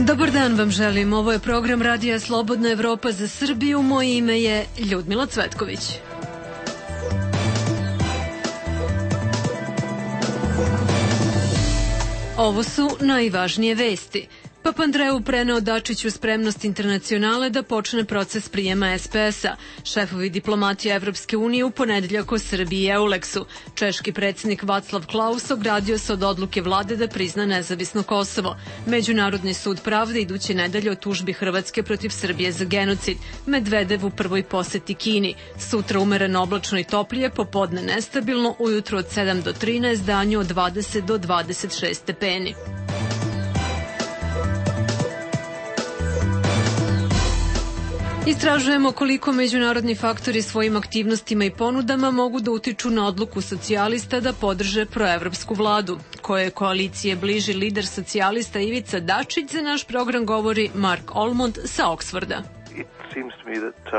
Dobar dan vam želim. Ovo je program Radija Slobodna Evropa za Srbiju. Moje ime je Ljudmila Cvetković. Ovo su najvažnije vesti. Papandreou preneo Dačiću spremnost Internacionale da počne proces prijema SPS-a. Šefovi diplomatije Evropske unije u ponedeljak o Srbiji i Euleksu. Češki predsjednik Václav Klaus ogradio se od odluke vlade da prizna nezavisno Kosovo. Međunarodni sud pravde iduće nedelje o tužbi Hrvatske protiv Srbije za genocid. Medvedev u prvoj poseti Kini. Sutra umereno oblačno i toplije, popodne nestabilno, ujutro od 7 do 13, danju od 20 do 26 stepeni. Istražujemo koliko međunarodni faktori svojim aktivnostima i ponudama mogu da utiču na odluku socijalista da podrže proevropsku vladu. Koje koalicije bliži lider socijalista Ivica Dačić, za naš program govori Mark Olmond sa Oxforda. It seems to me that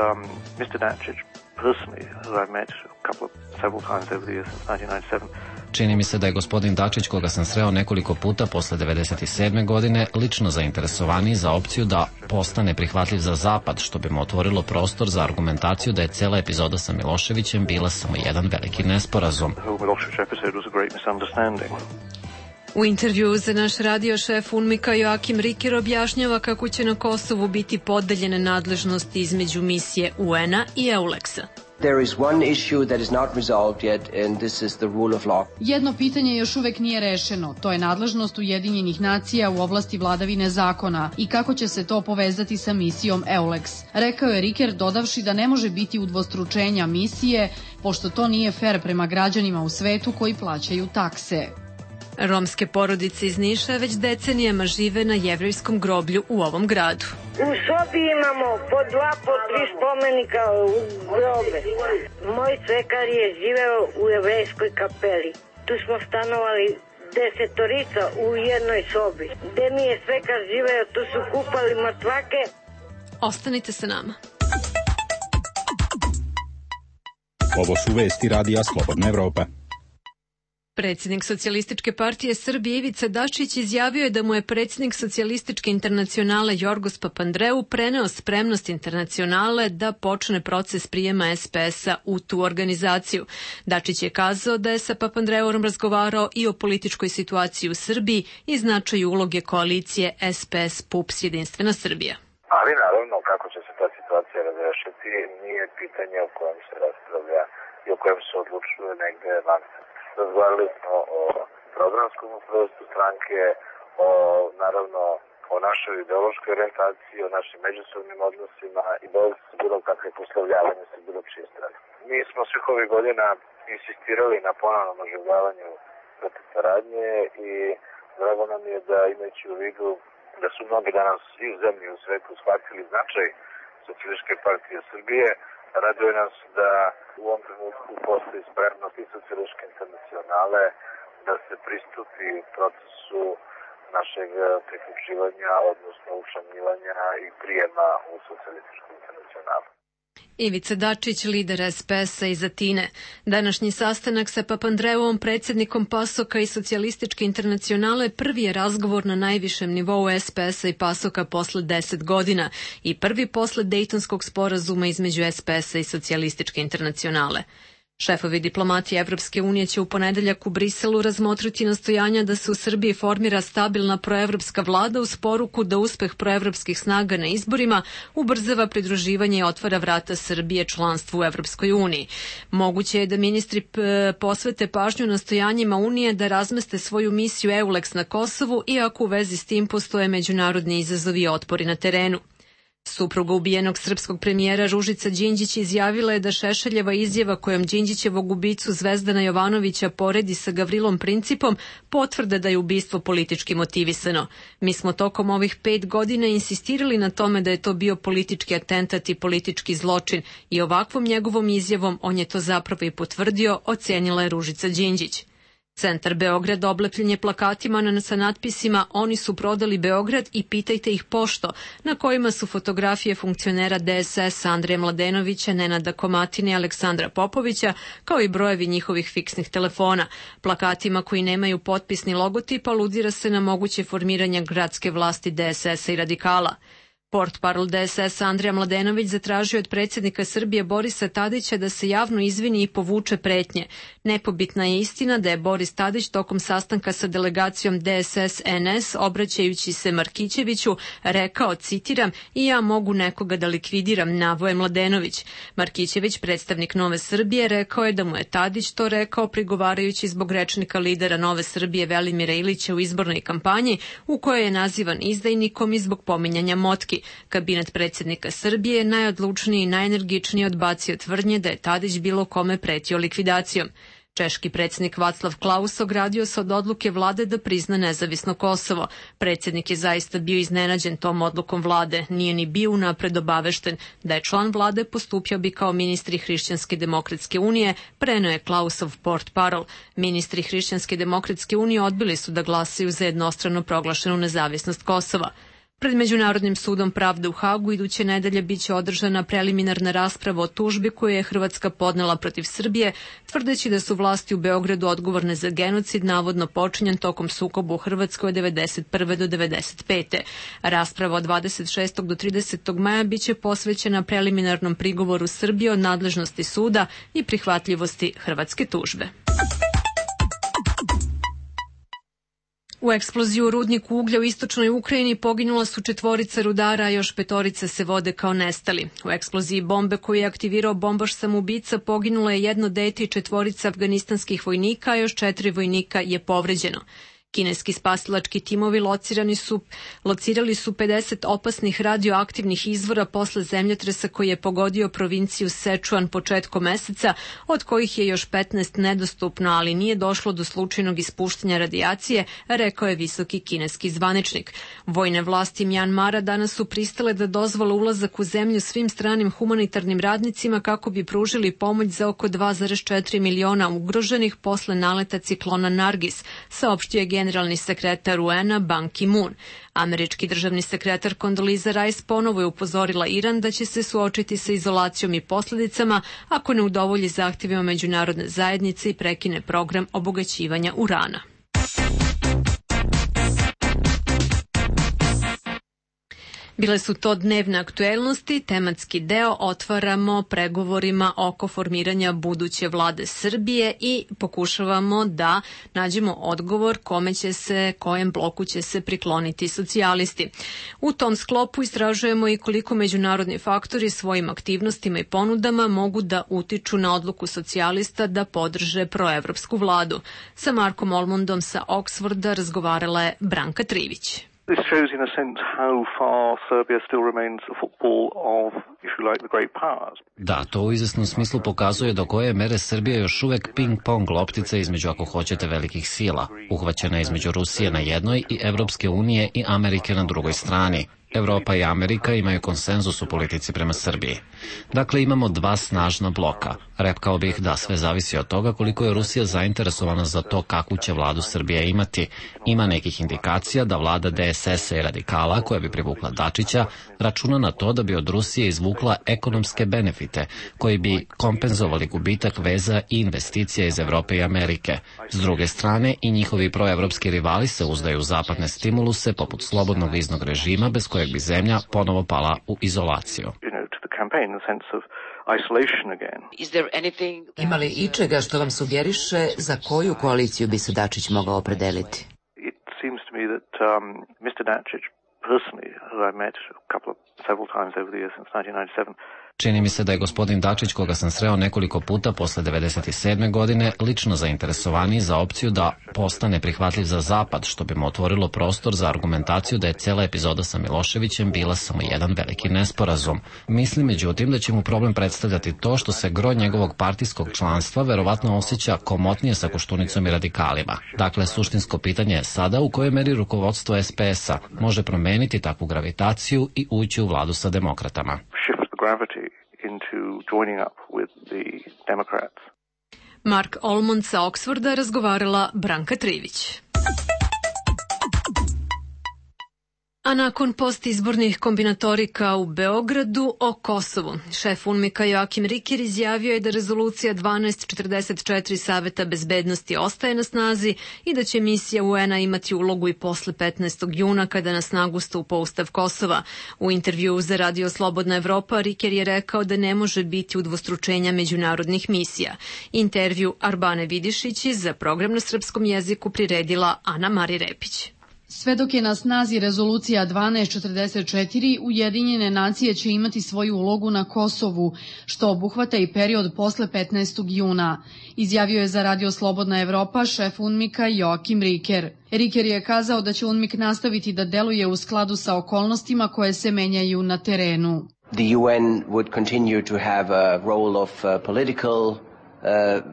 Mr. Dačić personally, who I've met several times over the years since 1997, čini mi se da je gospodin Dačić, koga sam sreo nekoliko puta posle 1997. godine, lično zainteresovaniji za opciju da postane prihvatljiv za Zapad, što bi mu otvorilo prostor za argumentaciju da je cela epizoda sa Miloševićem bila samo jedan veliki nesporazum. U intervjuu za naš radio šef UNMIK-a Joakim Riker objašnjava kako će na Kosovu biti podeljene nadležnosti između misije UN-a i Euleksa. Jedno pitanje još uvek nije rešeno, to je nadležnost Ujedinjenih nacija u oblasti vladavine zakona i kako će se to povezati sa misijom EULEX, rekao je Riker, dodavši da ne može biti udvostručenja misije, pošto to nije fer prema građanima u svetu koji plaćaju takse. Romske porodice iz Niša već decenijama žive na jevrejskom groblju u ovom gradu. U sobi imamo po 2, po 3 spomenika u grobe. Moj svekar je živeo u jevrejskoj kapeli. Tu smo stanovali 10 u jednoj sobi. Gde mi je svekar živeo, tu su kupali mrtvake. Ostanite sa nama. Ovo su vesti Radija Slobodna Evropa. Predsjednik Socijalističke partije Srbije Ivica Dačić izjavio je da mu je predsjednik Socijalističke internacionale Jorgos Papandreou preneo spremnost Internacionale da počne proces prijema SPS-a u tu organizaciju. Dačić je kazao da je sa Papandreouom razgovarao i o političkoj situaciji u Srbiji i značaju uloge koalicije SPS-PUPS Jedinstvena Srbija. Ali naravno kako će se ta situacija razrešiti nije pitanje o kojem se raspravlja i o kojem se odlučuje negde van. Razgovarali smo o programskom ustrojstvu stranke, naravno o našoj ideološkoj orijentaciji, o našim međusobnim odnosima i bez bilo kakve poslovljavanja sa bilo čije strane. Mi smo svih ovih godina insistirali na ponovnom oživljavanju protiv saradnje i drago nam je da, imajući u vidu da su mnogi danas i u zemlji i u svetu shvatili značaj Socijalističke partije Srbije, raduje nas da u ovom trenutku postoji spremnost i Socijalističke internacionale da se pristupi procesu našeg priključivanja, odnosno učlanjivanja i prijema u Socijalističku internacionalu. Ivica Dačić, lider SPS-a iz Atine. Današnji sastanak sa Papandreouom, predsjednikom PASOK-a i Socijalističke internacionale, prvi je razgovor na najvišem nivou SPS-a i PASOK-a posle 10 godina i prvi posle Dejtonskog sporazuma između SPS-a i Socijalističke internacionale. Šefovi diplomatije Evropske unije će u ponedeljak u Briselu razmotriti nastojanja da se u Srbiji formira stabilna proevropska vlada uz poruku da uspeh proevropskih snaga na izborima ubrzava pridruživanje i otvara vrata Srbije članstvu u Evropskoj uniji. Moguće je da ministri posvete pažnju nastojanjima Unije da razmeste svoju misiju EULEX na Kosovu, iako u vezi s tim postoje međunarodni izazovi i otpori na terenu. Supruga ubijenog srpskog premijera Ružica Đinđić izjavila je da Šešeljeva izjava kojom Đinđićevog ubicu Zvezdana Jovanovića poredi sa Gavrilom Principom potvrda da je ubistvo politički motivisano. Mi smo tokom ovih 5 godina insistirali na tome da je to bio politički atentat i politički zločin i ovakvom njegovom izjavom on je to zapravo i potvrdio, ocenila je Ružica Đinđić. Centar Beograd oblepljen je plakatima sa natpisima "Oni su prodali Beograd i pitajte ih pošto", na kojima su fotografije funkcionera DSS Andreja Mladenovića, Nenada Komatine i Aleksandra Popovića, kao i brojevi njihovih fiksnih telefona. Plakatima koji nemaju potpis ni logotip aludira se na moguće formiranje gradske vlasti DSS-a i radikala. Portparol DSS Andreja Mladenović zatražio od predsjednika Srbije Borisa Tadića da se javno izvini i povuče pretnje. Nepobitna je istina da je Boris Tadić tokom sastanka sa delegacijom DSS-NS, obraćajući se Markićeviću, rekao, citiram, "I ja mogu nekoga da likvidiram", navoje Mladenović. Markićević, predstavnik Nove Srbije, rekao je da mu je Tadić to rekao prigovarajući zbog rečnika lidera Nove Srbije Velimira Ilića u izbornoj kampanji, u kojoj je nazivan izdajnikom i zbog pominjanja motki. Kabinet predsjednika Srbije je najodlučniji i najenergičniji odbacio tvrdnje da je Tadić bilo kome pretio likvidacijom. Češki predsjednik Vaclav Klaus ogradio se od odluke vlade da prizna nezavisno Kosovo. Predsjednik je zaista bio iznenađen tom odlukom vlade, nije ni bio unapred obavešten. Da je član vlade, postupio bi kao ministri Hrišćanske demokratske unije, preneo je Klausov portparol. Ministri Hrišćanske demokratske unije odbili su da glasaju za jednostrano proglašenu nezavisnost Kosova. Pred Međunarodnim sudom pravde u Hagu iduće nedelje biće održana preliminarna rasprava o tužbi koju je Hrvatska podnela protiv Srbije, tvrdeći da su vlasti u Beogradu odgovorne za genocid navodno počinjen tokom sukoba u Hrvatskoj od 1991. do 1995. Rasprava od 26. do 30. maja biće posvećena preliminarnom prigovoru Srbije o nadležnosti suda i prihvatljivosti hrvatske tužbe. U eksploziji u rudniku uglja u istočnoj Ukrajini poginula su 4 rudara, a još 5 se vode kao nestali. U eksploziji bombe koju je aktivirao bombaš samoubica poginulo je 1 dete i 4 afganistanskih vojnika, a još 4 vojnika je povređeno. Kineski spasilački timovi locirali su 50 opasnih radioaktivnih izvora posle zemljotresa koji je pogodio provinciju Sečuan početkom meseca, od kojih je još 15 nedostupno, ali nije došlo do slučajnog ispuštanja radijacije, rekao je visoki kineski zvaničnik. Vojne vlasti Mjanmara danas su pristale da dozvole ulazak u zemlju svim stranim humanitarnim radnicima kako bi pružili pomoć za oko 2,4 miliona ugroženih posle naleta ciklona Nargis, saopštio je generalni sekretar UN-a Ban Ki-moon. Američki državni sekretar Condoleezza Rice ponovo je upozorila Iran da će se suočiti sa izolacijom i posljedicama ako ne udovolji zahtjevima međunarodne zajednice i prekine program obogaćivanja urana. Bile su to dnevne aktuelnosti, tematski deo otvaramo pregovorima oko formiranja buduće vlade Srbije i pokušavamo da nađemo odgovor kojem bloku će se prikloniti socijalisti. U tom sklopu istražujemo i koliko međunarodni faktori svojim aktivnostima i ponudama mogu da utiču na odluku socijalista da podrže proevropsku vladu. Sa Markom Olmondom sa Oxforda razgovarala je Branka Trivić. This shows, in a sense, how far Serbia still remains a football of, if you like, the great powers. Da, to u izvesnom smislu pokazuje do koje mere Srbija još uvek ping-pong loptica između, ako hoćete, velikih sila, uhvaćena između Rusije na jednoj i Evropske unije i Amerike na drugoj strani. Evropa i Amerika imaju konsenzus u politici prema Srbiji. Dakle, imamo 2 snažna bloka. Rekao bih da sve zavisi od toga koliko je Rusija zainteresovana za to kakvu će vladu Srbija imati. Ima nekih indikacija da vlada DSS-a i radikala, koja bi privukla Dačića, računa na to da bi od Rusije izvukla ekonomske benefite, koji bi kompenzovali gubitak veza i investicija iz Evrope i Amerike. S druge strane, i njihovi proevropski rivali se uzdaju u zapadne stimuluse, poput slobodnog viznog režima, bez kojeg bi zemlja ponovo pala u izolaciju. Ima li ičega što vam sugeriše za koju koaliciju bi se Dačić mogao opredeliti? It seems to me that Mr. Dačić, personally, who I met several times over the years since 1997, Čini mi se da je gospodin Dačić, koga sam sreo nekoliko puta posle 1997. godine, lično zainteresovaniji za opciju da postane prihvatljiv za Zapad, što bi mu otvorilo prostor za argumentaciju da je cela epizoda sa Miloševićem bila samo jedan veliki nesporazum. Mislim, međutim, da će mu problem predstavljati to što se gro njegovog partijskog članstva verovatno osjeća komotnije sa Koštunicom i radikalima. Dakle, suštinsko pitanje je sada u kojoj meri rukovodstvo SPS-a može promeniti takvu gravitaciju i ući u vladu sa demokratama. gravity into joining up with the Democrats. Mark Olmond sa Oksforda razgovarala Branka Trivić. A nakon postizbornih kombinatorika u Beogradu o Kosovu, šef UNMIK-a Joakim Riker izjavio je da rezolucija 1244 Saveta bezbednosti ostaje na snazi i da će misija UN-a imati ulogu i posle 15. juna kada na snagu stupa Ustav Kosova. U intervjuu za Radio Slobodna Evropa Riker je rekao da ne može biti udvostručenja međunarodnih misija. Intervju Arbane Vidišić za program na srpskom jeziku priredila Ana Mari Repić. Sve dok je na snazi rezolucija 1244, Ujedinjene nacije će imati svoju ulogu na Kosovu, što obuhvata i period posle 15. juna, izjavio je za Radio Slobodna Evropa šef UNMIK-a Joakim Riker. Riker je kazao da će UNMIK nastaviti da deluje u skladu sa okolnostima koje se menjaju na terenu. The UN would continue to have a role of political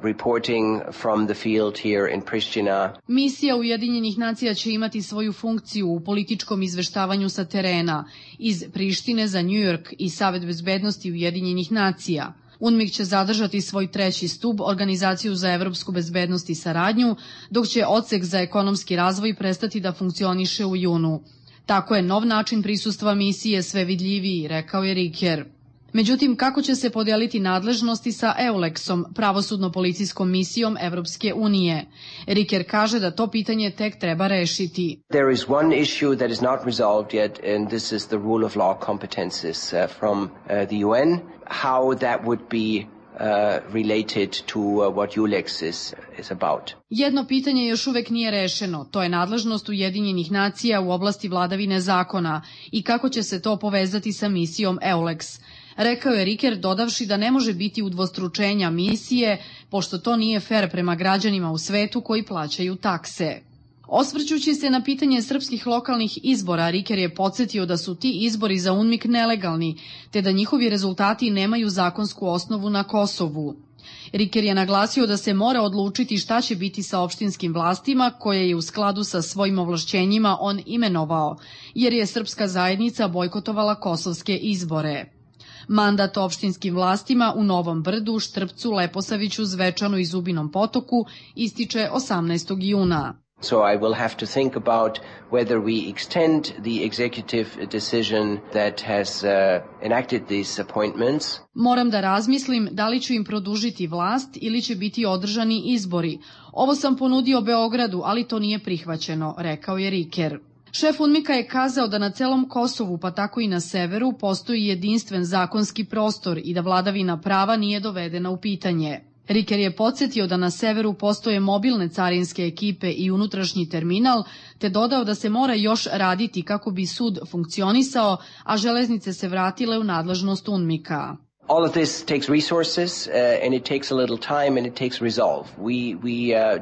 reporting from the field here in Pristina. Misija Ujedinjenih nacija će imati svoju funkciju u političkom izveštavanju sa terena iz Prištine za New York i Savet bezbednosti Ujedinjenih nacija. UNMIK će zadržati svoj treći stub, Organizaciju za evropsku bezbednost i saradnju, dok će odsek za ekonomski razvoj prestati da funkcioniše u junu. Tako je nov način prisustva misije sve vidljiviji, rekao je Riker. Međutim, kako će se podeliti nadležnosti sa EULEX-om, pravosudno-policijskom misijom Evropske unije? Riker kaže da to pitanje tek treba rešiti. There is one issue that is not resolved yet, and this is the rule of law competences from the UN. How that would be related to what EULEX is about. Jedno pitanje još uvek nije rešeno, to je nadležnost Ujedinjenih nacija u oblasti vladavine zakona i kako će se to povezati sa misijom EULEX. Rekao je Riker, dodavši da ne može biti udvostručenja misije, pošto to nije fer prema građanima u svetu koji plaćaju takse. Osvrćući se na pitanje srpskih lokalnih izbora, Riker je podsjetio da su ti izbori za UNMIK nelegalni, te da njihovi rezultati nemaju zakonsku osnovu na Kosovu. Riker je naglasio da se mora odlučiti šta će biti sa opštinskim vlastima koje je u skladu sa svojim ovlašćenjima on imenovao, jer je srpska zajednica bojkotovala kosovske izbore. Mandat opštinskim vlastima u Novom Brdu, Štrpcu, Leposaviću, Zvečanu i Zubinom Potoku ističe 18. juna. So I will have to think about whether we extend the executive decision that has enacted these appointments. Moram da razmislim da li ću im produžiti vlast ili će biti održani izbori. Ovo sam ponudio Beogradu, ali to nije prihvaćeno, rekao je Riker. Šef UNMIK-a je kazao da na celom Kosovu, pa tako i na severu, postoji jedinstven zakonski prostor i da vladavina prava nije dovedena u pitanje. Riker je podsjetio da na severu postoje mobilne carinske ekipe i unutrašnji terminal, te dodao da se mora još raditi kako bi sud funkcionisao, a železnice se vratile u nadležnost UNMIK-a. All of this takes resources and it takes a little time and it takes resolve. We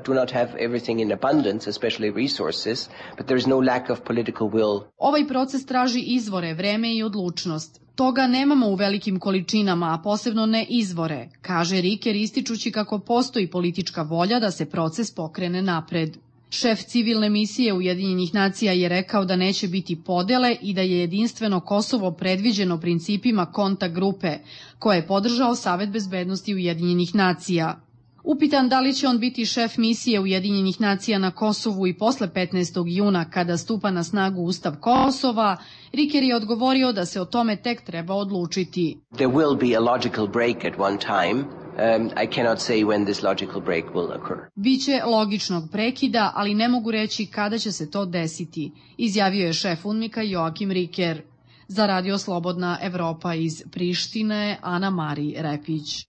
do not have everything in abundance, especially resources, but there is no lack of political will. Ovaj proces traži izvore, vreme i odlučnost. Toga nemamo u velikim količinama, a posebno ne izvore, kaže Riker ističući kako postoji politička volja da se proces pokrene napred. Šef civilne misije Ujedinjenih nacija je rekao da neće biti podele i da je jedinstveno Kosovo predviđeno principima kontakt grupe, koje je podržao Savet bezbednosti Ujedinjenih nacija. Upitan da li će on biti šef misije Ujedinjenih nacija na Kosovu i posle 15. juna kada stupa na snagu Ustav Kosova, Riker je odgovorio da se o tome tek treba odlučiti. There will be a logical break at one time. I cannot say when this logical break will occur. Biće logičnog prekida, ali ne mogu reći kada će se to desiti, izjavio je šef UNMIK-a Joakim Riker. Za Radio Slobodna Evropa iz Prištine, Ana Mari Repić.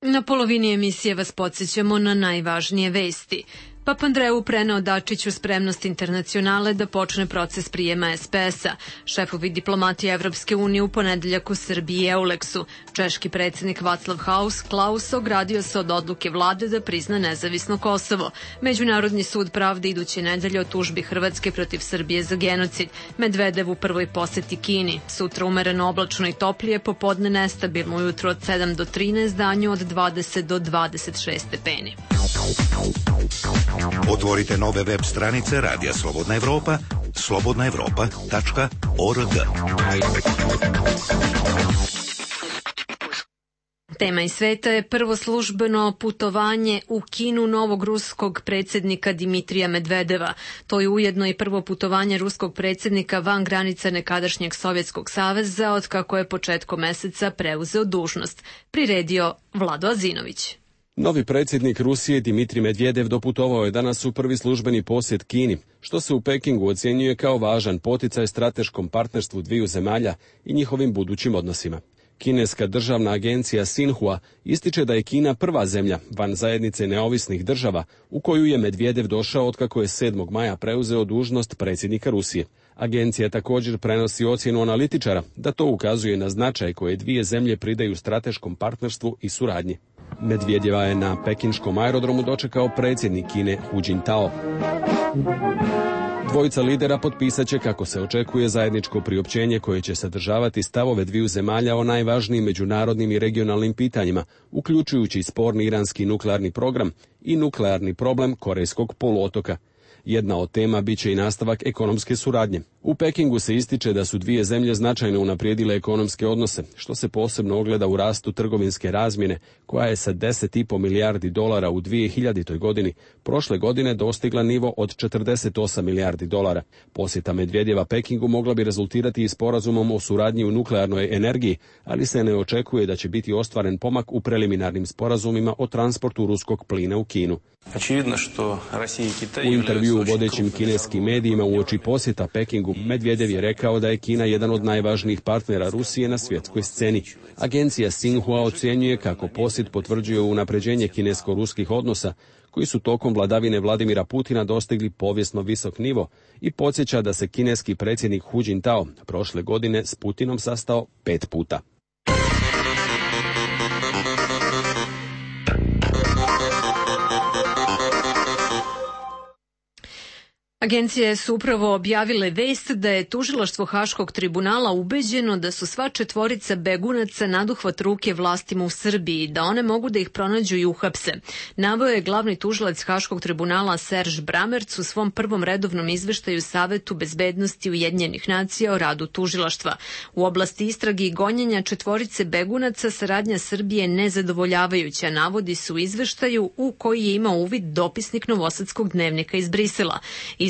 Na polovini emisije vas podsjećamo na najvažnije vesti. Papandreou preneo Dačiću spremnost internacionale da počne proces prijema SPS-a. Šefovi diplomatije Evropske unije u ponedeljak u Srbiji i EULEX-u. Češki predsjednik Václav Klaus ogradio se od odluke vlade da prizna nezavisno Kosovo. Međunarodni sud pravde iduće nedelje o tužbi Hrvatske protiv Srbije za genocid. Medvedev u prvoj poseti Kini. Sutra umereno oblačno i toplije, popodne nestabilno, ujutro od 7 do 13, danju od 20 do 26 stepeni. Otvorite nove web stranice Radija Slobodna Evropa, slobodnaevropa.org. Tema iz sveta je prvo službeno putovanje u Kinu novog ruskog predsjednika Dimitrija Medvedeva. To je ujedno i prvo putovanje ruskog predsjednika van granica nekadašnjeg Sovjetskog saveza od kako je početkom meseca preuzeo dužnost. Priredio Vlado Azinović. Novi predsjednik Rusije Dimitrij Medvedev doputovao je danas u prvi službeni posjet Kini, što se u Pekingu ocjenjuje kao važan poticaj strateškom partnerstvu dviju zemalja i njihovim budućim odnosima. Kineska državna agencija Sinhua ističe da je Kina prva zemlja van zajednice neovisnih država u koju je Medvedev došao otkako je 7. maja preuzeo dužnost predsjednika Rusije. Agencija također prenosi ocjenu analitičara da to ukazuje na značaj koje dvije zemlje pridaju strateškom partnerstvu i suradnji. Medvedeva je na pekinškom aerodromu dočekao predsjednik Kine Hu Jintao. Dvojica lidera potpisat će, kako se očekuje, zajedničko priopćenje koje će sadržavati stavove dviju zemalja o najvažnijim međunarodnim i regionalnim pitanjima, uključujući sporni iranski nuklearni program i nuklearni problem Korejskog poluotoka. Jedna od tema biće i nastavak ekonomske suradnje. U Pekingu se ističe da su dvije zemlje značajno unaprijedile ekonomske odnose, što se posebno ogleda u rastu trgovinske razmjene, koja je sa $10,5 milijardi u 2000. godini prošle godine dostigla nivo od $48 milijardi. Posjeta Medvedjeva Pekingu mogla bi rezultirati i sporazumom o suradnji u nuklearnoj energiji, ali se ne očekuje da će biti ostvaren pomak u preliminarnim sporazumima o transportu ruskog plina u Kinu. U intervju u vodećim kineskim medijima uoči posjeta Pekingu, Medvedev je rekao da je Kina jedan od najvažnijih partnera Rusije na svjetskoj sceni. Agencija Sinhua ocjenjuje kako posjet potvrđuje unapređenje kinesko-ruskih odnosa, koji su tokom vladavine Vladimira Putina dostigli povijesno visok nivo, i podsjeća da se kineski predsjednik Hu Jintao prošle godine s Putinom sastao 5 puta. Agencije su upravo objavile vest da je tužilaštvo Haškog tribunala ubeđeno da su sva četvorica begunaca naduhvat ruke vlastima u Srbiji, da one mogu da ih pronađu i uhapse. Naveo je glavni tužilac Haškog tribunala Serž Bramerc u svom prvom redovnom izveštaju Savetu bezbednosti Ujedinjenih nacija o radu tužilaštva. U oblasti istrage i gonjenja četvorice begunaca saradnja Srbije nezadovoljavajuća, navodi se u izveštaju u koji je imao uvid dopisnik Novosadskog dnevnika iz Brisela.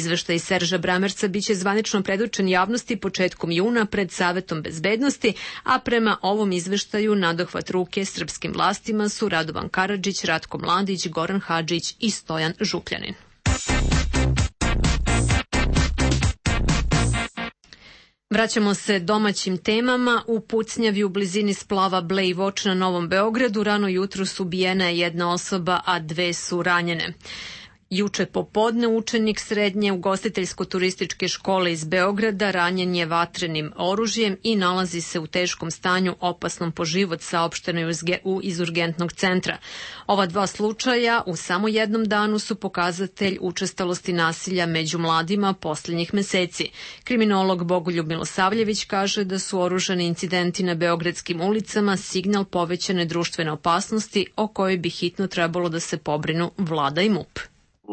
Izveštaj Serža Bramerca biće zvanično predočen javnosti početkom juna pred Savetom bezbednosti, a prema ovom izveštaju nadohvat ruke srpskim vlastima su Radovan Karadžić, Ratko Mladić, Goran Hadžić i Stojan Župljanin. Vraćamo se domaćim temama. U pucnjavi u blizini splava Blejvoč na Novom Beogradu rano jutros ubijena je jedna osoba, a 2 su ranjene. Juče popodne učenik srednje ugostiteljsko-turističke škole iz Beograda ranjen je vatrenim oružjem i nalazi se u teškom stanju opasnom po život, saopšteno je iz urgentnog centra. Ova 2 slučaja u samo jednom danu su pokazatelj učestalosti nasilja među mladima posljednjih meseci. Kriminolog Bogoljub Milosavljević kaže da su oružani incidenti na beogradskim ulicama signal povećane društvene opasnosti o kojoj bi hitno trebalo da se pobrinu vlada i MUP.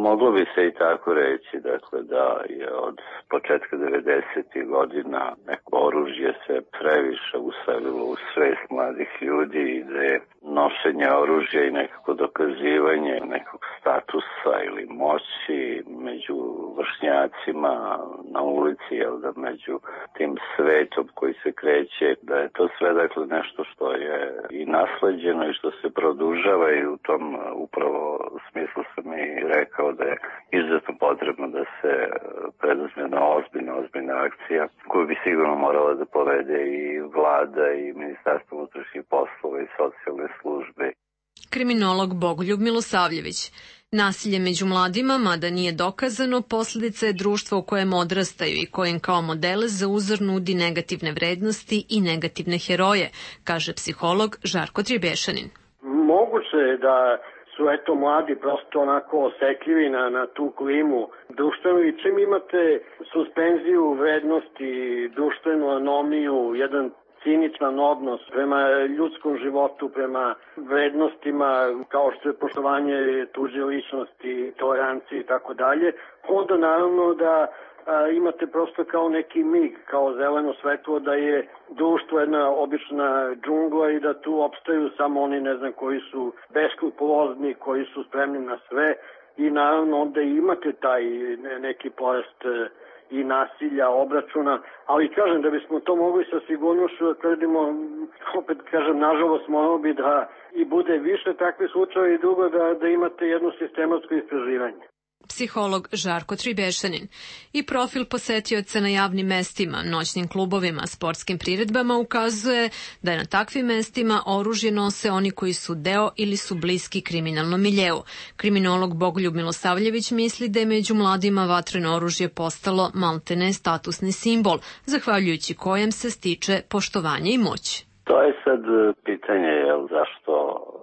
Moglo bi se i tako reći, dakle, da je od početka 90. godina neko oružje se previše uselilo u svest mladih ljudi i da je nošenje oružja i nekako dokazivanje nekog statusa ili moći među vršnjacima na ulici, jel da, među tim svetom koji se kreće, da je to sve, dakle, nešto što je i nasleđeno i što se produžava, i u tom upravo smislu sam i rekao da je izuzetno potrebno da se preduzme na ozbiljna akcija koju bi sigurno morala da povede i vlada i Ministarstvo unutrašnjih poslova i socijalne službe. Kriminolog Bogoljub Milosavljević. Nasilje među mladima, mada nije dokazano, posljedica je društva u kojem odrastaju i kojem kao modele za uzor nudi negativne vrednosti i negativne heroje, kaže psiholog Žarko Tribešanin. Moguće je da su mladi prosto onako osetljivi na tu klimu društvenu, i čim imate suspenziju vrednosti, društvenu anomiju, jedan ciničan odnos prema ljudskom životu, prema vrednostima kao što je poštovanje tuđe ličnosti, tolerancije i tako dalje, onda naravno da imate prosto kao neki mig, kao zeleno svetlo da je društvo jedna obična džungla i da tu opstaju samo oni, ne znam, koji su beskrupulozni, koji su spremni na sve i naravno onda imate taj neki porast i nasilja, obračuna, ali kažem da bismo to mogli sa sigurnošću da tvrdimo, opet kažem, nažalost moramo bi da i bude više takve slučaje i drugo da imate jedno sistematsko istraživanje. Psiholog Žarko Tribešanin. I profil posetioca na javnim mestima, noćnim klubovima, sportskim priredbama ukazuje da je na takvim mestima oružje nose oni koji su deo ili su bliski kriminalnom miljeu. Kriminolog Bogoljub Milosavljević misli da je među mladima vatreno oružje postalo maltene statusni simbol, zahvaljujući kojem se stiče poštovanje i moć. To je sad pitanje, zašto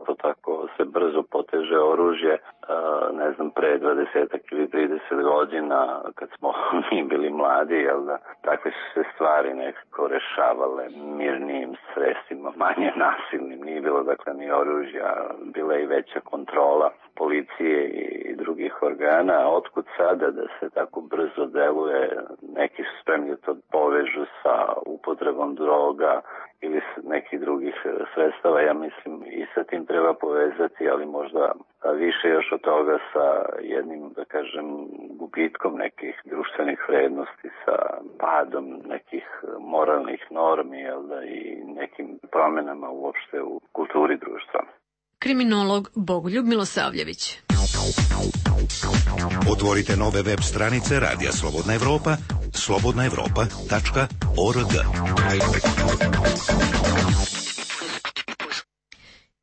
to tako se brzo poteže oružje. Ne znam, pre 20 ili 30 godina, kad smo mi bili mladi, takve su se stvari nekako rešavale mirnijim sredstvima, manje nasilnim. Nije bilo dakle ni oružja, bila i veća kontrola policije i drugih organa. Otkud sada da se tako brzo deluje? Neki su spremni da to povežu sa upotrebom droga ili nekih drugih sredstava. Ja mislim i sa tim treba povezati, ali možda više još od toga sa jednim, da kažem, gubitkom nekih društvenih vrednosti, sa padom nekih moralnih normi, i nekim promenama uopšte u kulturi društva. Kriminolog Bogoljub Milosavljević. Otvorite nove web stranice Radija Slobodna Evropa, slobodnaevropa.org.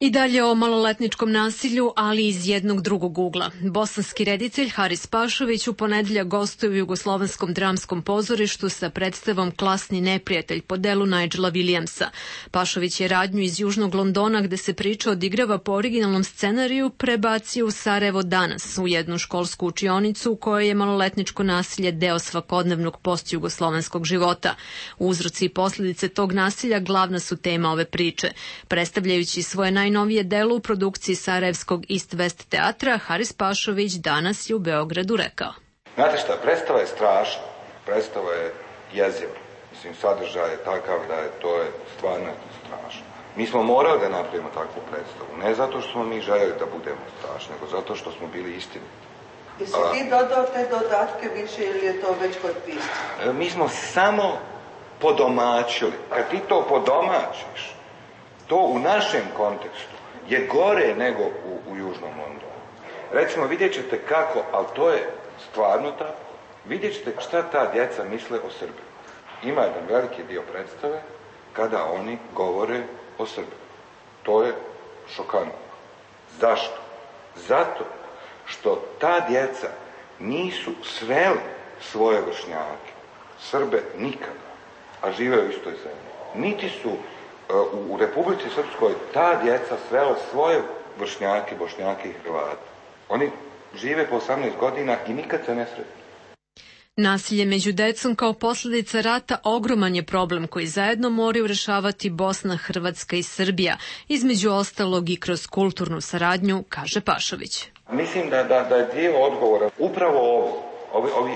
I dalje o maloletničkom nasilju, ali iz jednog drugog ugla. Bosanski reditelj Haris Pašović u ponedeljak gostuje u Jugoslovenskom dramskom pozorištu sa predstavom Klasni neprijatelj po delu Nigela Williamsa. Pašović je radnju iz Južnog Londona, gde se priča odigrava po originalnom scenariju, prebacio u Sarajevo danas, u jednu školsku učionicu u kojoj je maloletničko nasilje deo svakodnevnog postjugoslovenskog života. Uzroci i posljedice tog nasilja glavna su tema ove priče. Predstavljajući svoje najnovije delo u produkciji Sarajevskog East West teatra, Haris Pašović danas je u Beogradu rekao. Znate šta, predstava je strašna, predstava je jeziva. Mislim, sadržaj je takav da je to stvarno strašno. Mi smo morali da napravimo takvu predstavu, ne zato što smo mi željeli da budemo strašni, nego zato što smo bili istini. Jesi ti dodao te dodatke više ili je to već kod pisca? Mi smo samo podomaćili. Kad ti to podomačiš, to u našem kontekstu je gore nego u Južnom Londonu. Recimo, vidjet ćete kako, ali to je stvarno tako, vidjet ćete šta ta djeca misle o Srbiji. Ima jedan veliki dio predstave kada oni govore o Srbiji. To je šokantno. Zašto? Zato što ta djeca nisu sveli svoje vršnjake, Srbe nikada, a žive u istoj zemlji. Niti su u Republici Srpskoj ta djeca svela svoje vršnjake, bošnjake i Hrvate. Oni žive po 18 godina i nikad se ne sretnu. Nasilje među decom kao posljedica rata ogroman je problem koji zajedno moraju rešavati Bosna, Hrvatska i Srbija, između ostalog i kroz kulturnu saradnju, kaže Pašović. Mislim da je dio odgovora upravo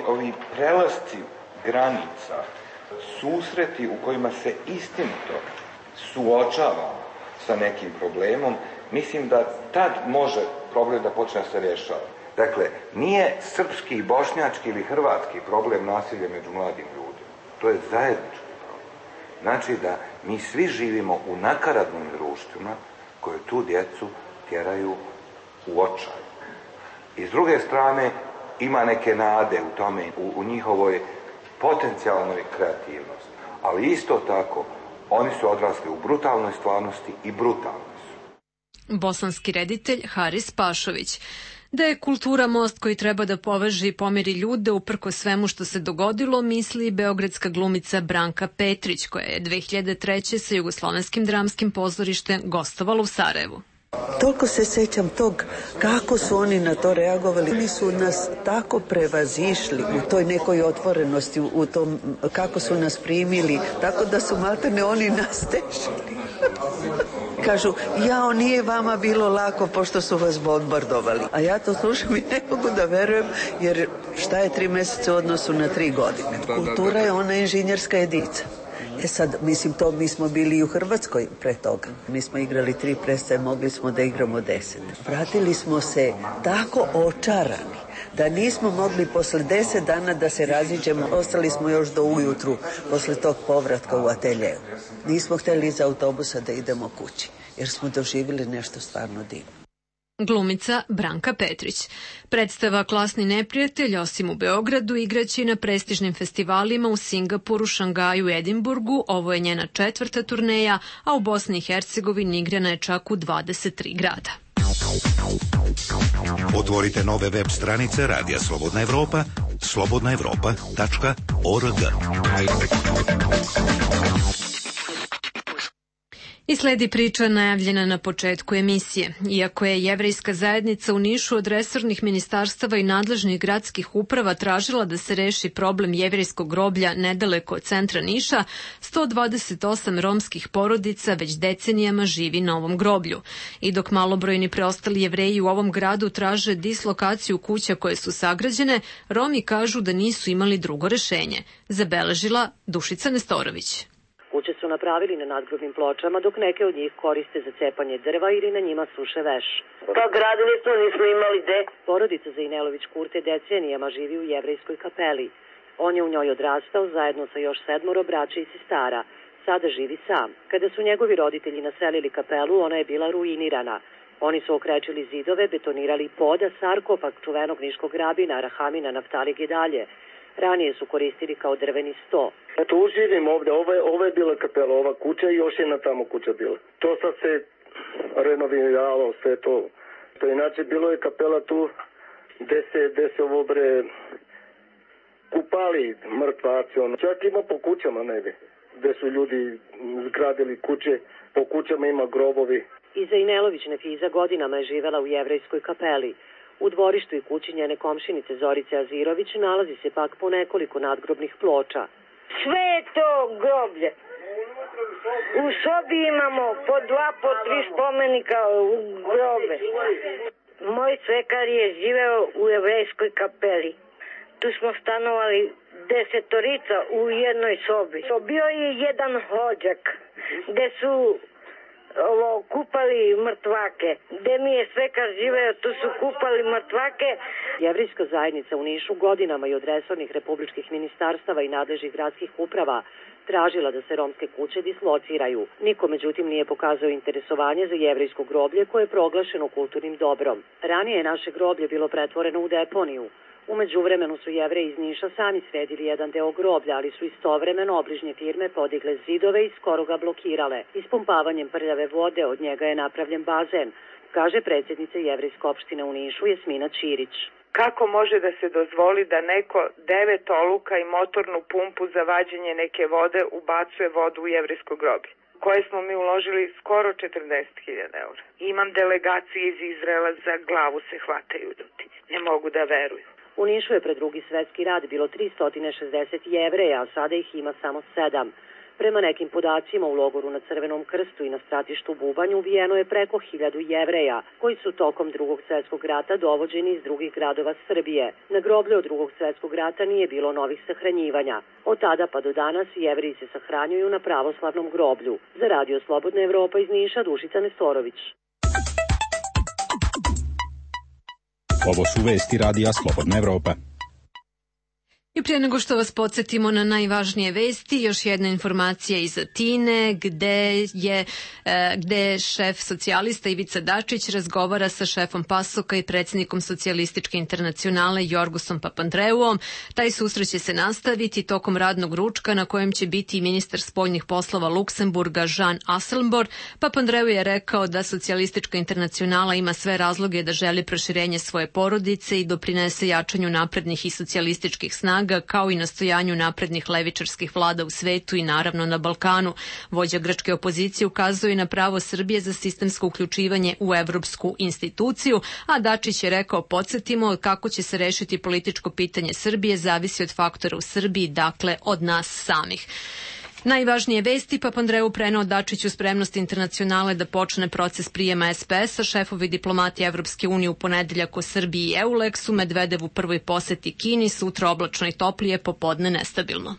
ovi prelasci granica, susreti u kojima se istinito suočavamo sa nekim problemom, mislim da tad može problem da počne da se rješava. Dakle, nije srpski, bošnjački ili hrvatski problem nasilja među mladim ljudima. To je zajednički problem. Znači da mi svi živimo u nakaradnim društvima koje tu djecu tjeraju u očaj. I s druge strane ima neke nade u tome, u njihovoj potencijalnoj kreativnosti. Ali isto tako oni su odrasli u brutalnoj stvarnosti i brutalni su. Bosanski reditelj Haris Pašović. Da je kultura most koji treba da poveže i pomeri ljude uprko svemu što se dogodilo, misli beogradska glumica Branka Petrić, koja je 2003. sa Jugoslovenskim dramskim pozorištem gostovala u Sarajevu. Toliko se sećam tog kako su oni na to reagovali. Oni su nas tako prevazišli u toj nekoj otvorenosti, u tom kako su nas primili, tako da su maltene oni nas tešili. kažu, jao, nije vama bilo lako pošto su vas bombardovali. A ja to slušam i ne mogu da verujem, jer šta je 3 meseca u odnosu na 3 godine? Kultura je ona inženjerska jedinica. Sad, mislim, to mi smo bili i u Hrvatskoj pre toga. Mi smo igrali 3 predstave, mogli smo da igramo 10. Vratili smo se tako očarani da nismo mogli posle 10 dana da se raziđemo. Ostali smo još do ujutru posle tog povratka u ateljeu. Nismo hteli iz autobusa da idemo kući, jer smo doživjeli nešto stvarno divno. Glumica Branka Petrić. Predstava Klasni neprijatelj, osim u Beogradu, igraće na prestižnim festivalima u Singapuru, Šangaju i Edinburgu. Ovo je njena 4. turneja, a u Bosni i Hercegovini igrana je čak u 23 grada. Otvorite nove web stranice Radija Slobodna Evropa, slobodnaevropa.org. I sledi priča najavljena na početku emisije. Iako je jevrejska zajednica u Nišu od resornih ministarstava i nadležnih gradskih uprava tražila da se reši problem jevrejskog groblja nedaleko od centra Niša, 128 romskih porodica već decenijama živi na ovom groblju. I dok malobrojni preostali Jevreji u ovom gradu traže dislokaciju kuća koje su sagrađene, Romi kažu da nisu imali drugo rešenje. Zabeležila Dušica Nestorović. Kuće su napravili na nadgrobnim pločama, dok neke od njih koriste za cepanje drva ili na njima suše veš. Pa gradili smo, nismo imali gde. Porodica Zainelović Kurte decenijama živi u jevrejskoj kapeli. On je u njoj odrastao zajedno sa još 7 braće i sestara. Sada živi sam. Kada su njegovi roditelji naselili kapelu, ona je bila ruinirana. Oni su okrečili zidove, betonirali poda, sarkofag čuvenog niškog rabina Rahamina Naftali Gedalje. Ranije su koristili kao drveni sto. Tu živim ovde, ovo je bila kapela, ova kuća i još jedna tamo kuća bila. To sad se renoviralo, sve to. Inače, bilo je kapela tu gde se ovo kupali mrtvaci. Čak ima po kućama negde, gde su ljudi zgradili kuće, po kućama ima grobovi. I Zainelović Nefiza godinama je živela u jevrejskoj kapeli. U dvorištu i kući njene komšinice Zorice Azirović nalazi se pak po nekoliko nadgrobnih ploča. Sve je to groblje. U sobi imamo po 2, po 3 spomenika u grobe. Moj svekar je živeo u jevrejskoj kapeli. Tu smo stanovali 10 u jednoj sobi. Bio je jedan hođak gde su kupali mrtvake. Gde mi je svekar živeo, tu su kupali mrtvake. Jevrejska zajednica u Nišu godinama i od resornih republičkih ministarstava i nadležnih gradskih uprava tražila da se romske kuće dislociraju. Niko međutim nije pokazao interesovanje za jevrejsko groblje koje je proglašeno kulturnim dobrom. Ranije je naše groblje bilo pretvoreno u deponiju. U međuvremenu su Jevreji iz Niša sami sredili jedan deo groblja, ali su istovremeno obližnje firme podigle zidove i skoro ga blokirale. Ispumpavanjem prljave vode od njega je napravljen bazen, kaže predsjednica Jevrejske opštine u Nišu Jasmina Ćirić. Kako može da se dozvoli da neko 9 oluka i motornu pumpu za vađenje neke vode ubacuje vodu u jevrejsko groblje, koje smo mi uložili skoro 40.000 eura. Imam delegacije iz Izraela, za glavu se hvataju ljudi. Ne mogu da veruju. U Nišu je pred Drugi svetski rat bilo 360 Jevreja, a sada ih ima samo 7. Prema nekim podacima u logoru na Crvenom krstu i na stratištu Bubanj ubijeno je preko 1000 Jevreja, koji su tokom Drugog svetskog rata dovođeni iz drugih gradova Srbije. Na groblju od Drugog svetskog rata nije bilo novih sahranjivanja. Od tada pa do danas Jevreji se sahranjuju na pravoslavnom groblju. Za Radio Slobodna Evropa iz Niša, Dušica Nestorović. Ovo su vesti Radija Slobodna Evropa. I prije nego što vas podsjetimo na najvažnije vesti, još jedna informacija iz Atine, gde šef socijalista Ivica Dačić razgovara sa šefom PASOK-a i predsjednikom Socijalističke internacionale Jorgosom Papandreouom. Taj susret će se nastaviti tokom radnog ručka na kojem će biti ministar spoljnih poslova Luksemburga Jean Asselborn. Papandreou je rekao da Socijalistička internacionala ima sve razloge da želi proširenje svoje porodice i doprinese jačanju naprednih i socijalističkih snaga, kao i nastojanju naprednih levičarskih vlada u svetu i naravno na Balkanu. Vođa grčke opozicije ukazuje na pravo Srbije za sistemsko uključivanje u evropsku instituciju, a Dačić je rekao, podsjetimo, kako će se rešiti političko pitanje Srbije zavisi od faktora u Srbiji, dakle od nas samih. Najvažnije vesti, Papandreou preneo Dačiću spremnost Internacionale da počne proces prijema SPS-a, šefovi diplomati Evropske unije u ponedeljak o Srbiji i EULEX-u, Medvedev u prvoj poseti Kini, sutra oblačno i toplije, popodne nestabilno.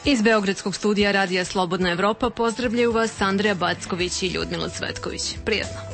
Iz Beogradskog studija Radija Slobodna Evropa pozdravljaju vas Andreja Backović i Ljudmila Cvetković. Prijatno.